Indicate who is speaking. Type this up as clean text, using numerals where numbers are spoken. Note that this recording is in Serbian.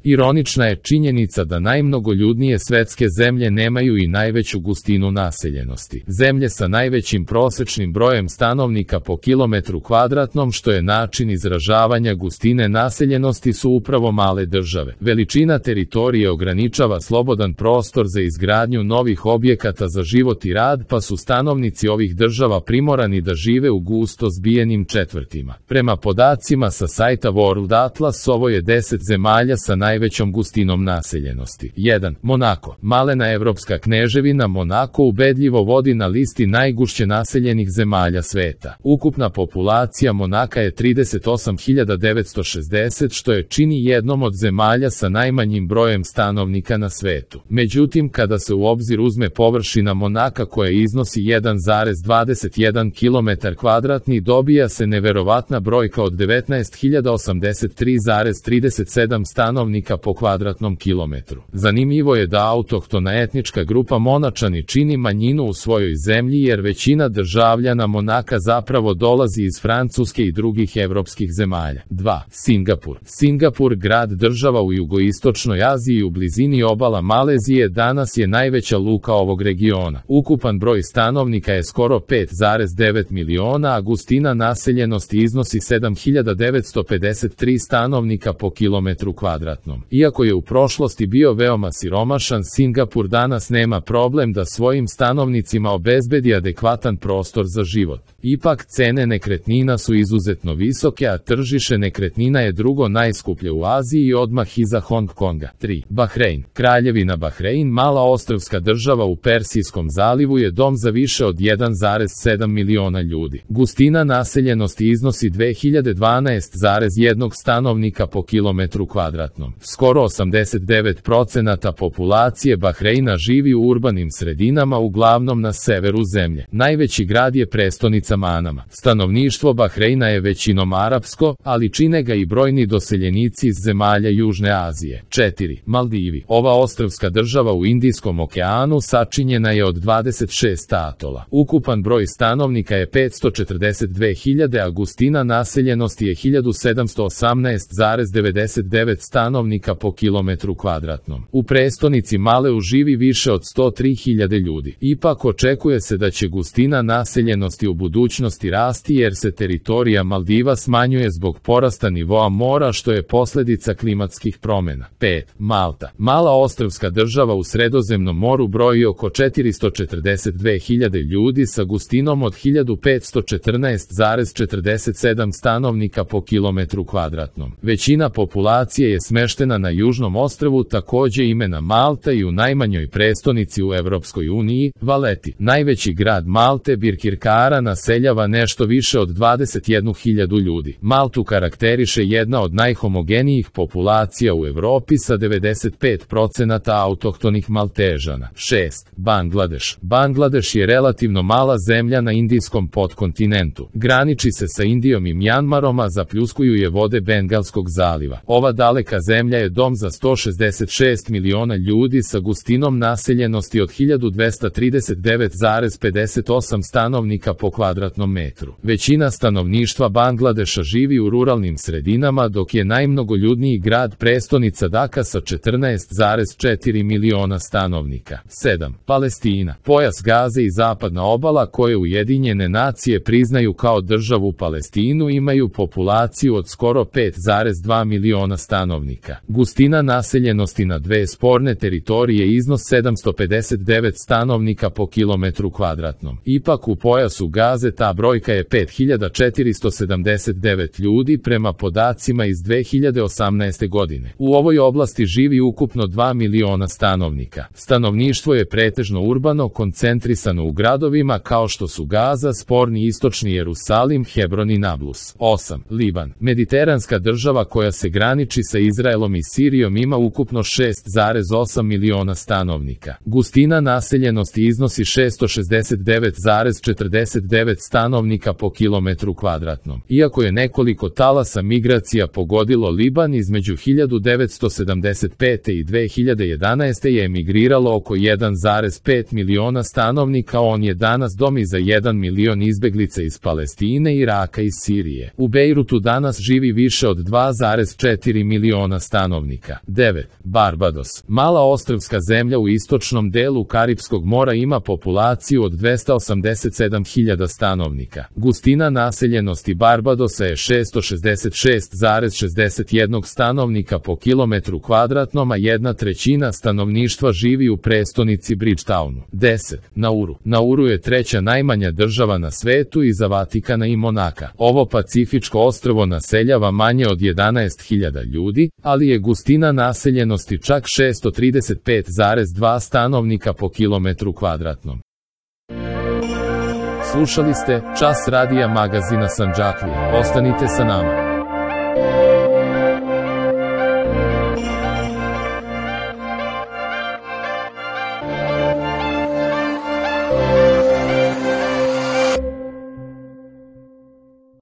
Speaker 1: Ironična je činjenica da najmnogoljudnije svetske zemlje nemaju i najveću gustinu naseljenosti. Zemlje sa najvećim prosečnim brojem stanovnika po kilometru kvadratnom, što je način izražavanja gustine naseljenosti, su upravo male države. Veličina teritorije ograničava slobodan prostor za izgradnju novih objekata za život i rad, pa su stanovnici ovih država primorani da žive u gusto zbijenim četvrtima. Prema podacima sa sajta World Atlas, ovo je 10 zemalja sa najvećom gustinom naseljenosti. 1. Monako. Malena evropska kneževina Monako ubedljivo vodi na listi najgušće naseljenih zemalja sveta. Ukupna populacija Monaka je 38.960, što je čini jednom od zemalja sa najmanjim brojem stanovnika na svetu. Međutim, kada se u obzir uzme površina Monaka koja iznosi 1,21 km2, dobija se neverovatna brojka od 19.083,37 stanovnika po kvadratnom kilometru. Zanimljivo je da autohtona etnička grupa Monačani čini manjinu u svojoj zemlji, jer većina državljana Monaka zapravo dolazi iz Francuske i drugih evropskih zemalja. 2. Singapur. Singapur, grad država u jugoistočnoj Aziji u blizini obala Malezije, danas je najveća luka ovog regiona. Ukupan broj stanovnika je skoro 5,9 miliona, a gustina naseljenosti iznosi 7.953 stanovnika po kilometru kvadratnom. Iako je u prošlosti bio veoma siromašan, Singapur danas nema problem da svojim stanovnicima obezbedi adekvatan prostor za život. Ipak, cene nekretnina su izuzetno visoke, a tržište nekretnina je drugo najskuplje u Aziji i odmah iza Hong Konga. 3. Bahrein. Kraljevina Bahrein, mala ostrvska država u Persijskom zalivu, je dom za više od 1,7 miliona ljudi. Gustina naseljenosti iznosi 2012,1 stanovnika po kilometru kvadratnom. Skoro 89% populacije Bahreina živi u urbanim sredinama, uglavnom na severu zemlje. Najveći grad je prestonica Manama. Stanovništvo Bahreina je većinom arapsko, ali čine ga i brojni doseljenici iz zemalja Južne Azije. 4. Maldivi. Ova ostrvska država u Indijskom okeanu sačinjena je od 26 atola. Ukupan broj stanovnika je 542.000, a gustina naseljenosti je 1718,99 stanovnika po kilometru kvadratnom. U prestonici Maleu živi više od 103.000 ljudi. Ipak očekuje se da će gustina naseljenosti u budućnosti rasti, jer se teritorija Maldiva smanjuje zbog porasta nivoa mora, što je posljedica klimatskih promjena. 5. Malta. Mala ostrvska država u Sredozemnom moru broji oko 442.000 ljudi sa gustinom od 1514,47 stanovnika po kilometru kvadratnom. Većina populacije je smeštena na južnom ostrvu, takođe imena Malta, i u najmanjoj prestonici u Evropskoj uniji, Valeti. Najveći grad Malte, Birkirkara, naseljava nešto više od 21.000 ljudi. Maltu karakteriše jedna od najhomogenijih populacija u Evropi sa 95% autohtonih Maltežana. 6. Bangladeš. Bangladeš je relativno mala zemlja na indijskom podkontinentu. Graniči se sa Indijom i Mjanmarom, a zapljuskuju je vode Bengalskog zaliva. Ova daleka zemlja je dom za 166 miliona ljudi sa gustinom naseljenosti od 1239,58 stanovnika po kvadratnom metru. Većina stanovništva Bangladeša živi u ruralnim sredinama, dok je najmnogoljudniji grad prestonica Daka sa 14,4 miliona stanovnika. 7. Palestina. Pojas Gaze i zapadna obala, koje Ujedinjene nacije priznaju kao državu Palestinu, imaju populaciju od skoro 5,2 miliona stanovnika. Gustina naseljenosti na dve sporne teritorije iznos 759 stanovnika po kilometru kvadratnom. Ipak u pojasu Gaze ta brojka je 5479 ljudi prema podacima iz 2018. godine. U ovoj oblasti živi ukupno 2 miliona stanovnika. Stanovništvo je pretežno urbano, koncentrisano u gradovima kao što su Gaza, sporni istočni Jerusalim, Hebron i Nablus. 8. Liban. Mediteranska država koja se graniči sa Izraelom i Sirijom ima ukupno 6,8 miliona stanovnika. Gustina naseljenosti iznosi 669,49 stanovnika po kilometru kvadratnom. Iako je nekoliko talasa migracija pogodilo Liban, između 1975. i 2011. je emigriralo oko 1,5 miliona stanovnika, on je danas dom i za 1 milion izbeglica iz Palestine, Iraka i Sirije. U Bejrutu danas živi više od 2,4 miliona stanovnika. 9. Barbados. Mala ostrvska zemlja u istočnom delu Karipskog mora ima populaciju od 287.000 stanovnika. Gustina naseljenosti Barbadosa je 666,61 stanovnika po kilometru kvadratnom, a 1/3 stanovništva živi u prestonici Bridgetownu. 10. Nauru. Nauru je treća najmanja država na svetu iza Vatikana i Monaka. Ovo pacifičko ostrvo naseljava manje od 11.000 ljudi, ali je gustina naseljenosti čak 635,2 stanovnika po kilometru kvadratnom. Slušali ste Čas radija magazina Sandžaklija. Ostanite sa nama.